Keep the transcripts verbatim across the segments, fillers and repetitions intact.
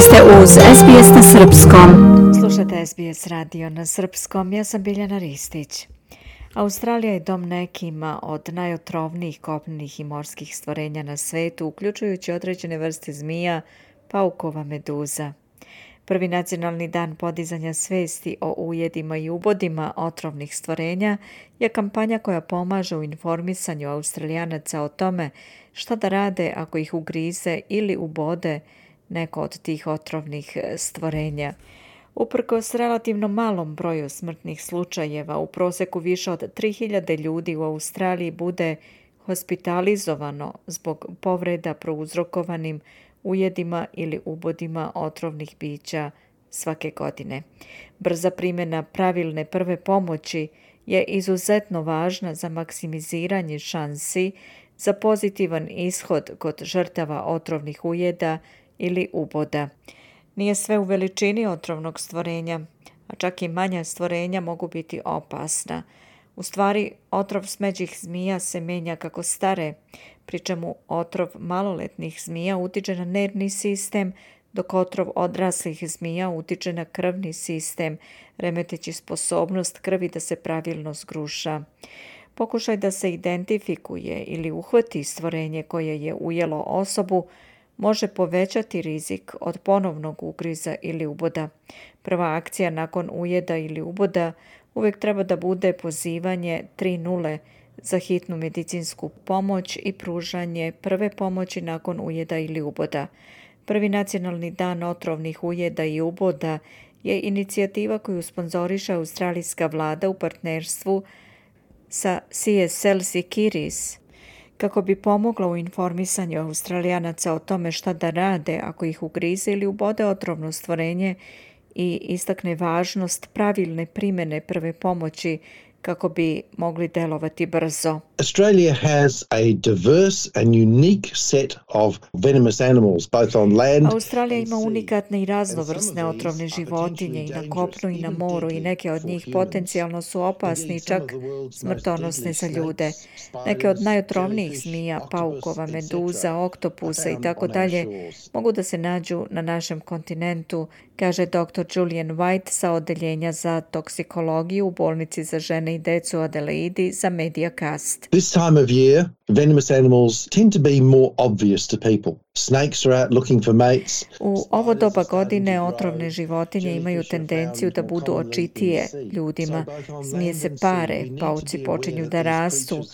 Vi ste uz S B S na srpskom. Slušate S B S radio na srpskom, ja sam Biljana Ristić. Australija je dom nekima od najotrovnijih kopnenih i morskih stvorenja na svetu, uključujući određene vrste zmija, paukova, meduza. Prvi nacionalni dan podizanja svesti o ujedima i ubodima otrovnih stvorenja je kampanja koja pomaže u informisanju Australijanaca o tome šta da rade ako ih ugrize ili ubode neko od tih otrovnih stvorenja. Uprkos relativno malom broju smrtnih slučajeva, u proseku više od tri hiljade ljudi u Australiji bude hospitalizovano zbog povreda prouzrokovanim ujedima ili ubodima otrovnih bića svake godine. Brza primjena pravilne prve pomoći je izuzetno važna za maksimiziranje šansi za pozitivan ishod kod žrtava otrovnih ujeda ili uboda. Nije sve u veličini otrovnog stvorenja, a čak i manja stvorenja mogu biti opasna. U stvari, otrov smeđih zmija se menja kako stare, pri čemu otrov maloletnih zmija utiče na nervni sistem, dok otrov odraslih zmija utiče na krvni sistem, remeteći sposobnost krvi da se pravilno zgruša. Pokušaj da se identifikuje ili uhvati stvorenje koje je ujelo osobu može povećati rizik od ponovnog ugriza ili uboda. Prva akcija nakon ujeda ili uboda uvijek treba da bude pozivanje tri nula za hitnu medicinsku pomoć i pružanje prve pomoći nakon ujeda ili uboda. Prvi nacionalni dan otrovnih ujeda i uboda je inicijativa koju sponzoriše australijska vlada u partnerstvu sa C S L Securities, kako bi pomogla u informisanju Australijanaca o tome šta da rade ako ih ugrize ili ubode otrovno stvorenje i istakne važnost pravilne primjene prve pomoći kako bi mogli delovati brzo. Australia has a diverse and unique set of venomous animals both on land. Australija ima unikatne i raznovrsne otrovne životinje i na kopnu i na moru i neke od njih potencijalno su opasni i čak smrtonosne za ljude. Neke od najotrovnijih zmija, paukova, meduza, oktopusa i tako dalje mogu da se nađu na našem kontinentu, kaže doktor Julian White sa odeljenja za toksikologiju u bolnici za žene i decu u Adelaidi za Mediacast. This time of year, venomous animals tend to be more obvious to people. Snakes are out looking for mates. U ovo doba godine otrovne životinje imaju tendenciju da budu očitije ljudima. Zmije se pare, pauci počinju da rastu,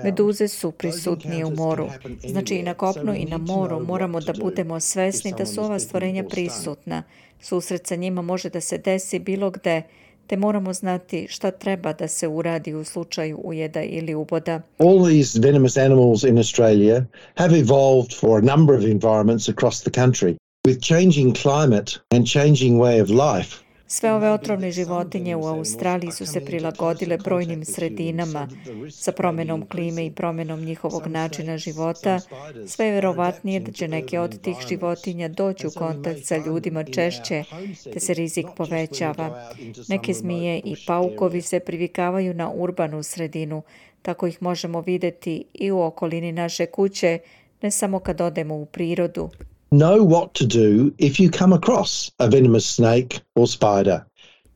meduze su prisutnije u moru. Znači i na kopnu i na moru moramo da budemo svesni da su ova stvorenja prisutna. Susret sa njima može da se desi bilo gde, te moramo znati šta treba da se uradi u slučaju ujeda ili uboda. All these venomous animals in Australia have evolved for a number of environments across the country. With changing climate and changing way of life, sve ove otrovne životinje u Australiji su se prilagodile brojnim sredinama. Sa promjenom klime i promjenom njihovog načina života, sve je vjerovatnije da će neke od tih životinja doći u kontakt sa ljudima češće, te se rizik povećava. Neke zmije i paukovi se privikavaju na urbanu sredinu, tako ih možemo vidjeti i u okolini naše kuće, ne samo kad odemo u prirodu. Know what to do if you come across a venomous snake or spider.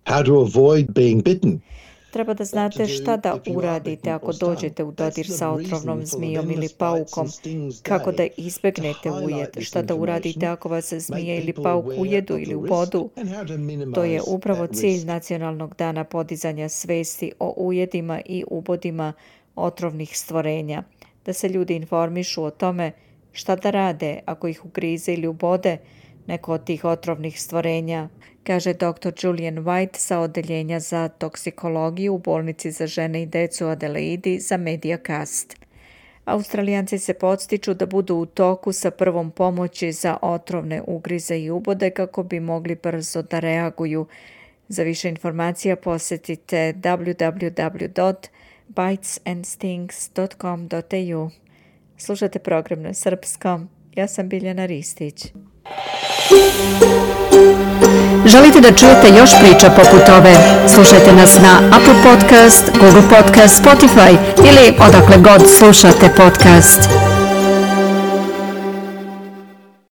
How to avoid being bitten. Treba da znate šta da uradite ako dođete u dodir sa otrovnom zmijom ili paukom, kako da izbegnete ujed, šta da uradite ako vas zmija ili pauk ujedu ili ubodu. To je upravo cilj Nacionalnog dana podizanja svesti o ujedima i ubodima otrovnih stvorenja, da se ljudi informišu o tome šta da rade ako ih ugrize ili ubode neko od tih otrovnih stvorenja, kaže doktor Julian White sa odeljenja za toksikologiju u bolnici za žene i decu u Adelaidi za Mediacast. Australijanci se podstiču da budu u toku sa prvom pomoći za otrovne ugrize i ubode kako bi mogli brzo da reaguju. Za više informacija posjetite w w w dot bites and stings dot com dot a u. Slušate program na srpskom. Ja sam Biljana Ristić. Želite da čujete još priča poput ove? Slušajte nas na Apple Podcast, Google Podcast, Spotify ili odakle god slušate podcast.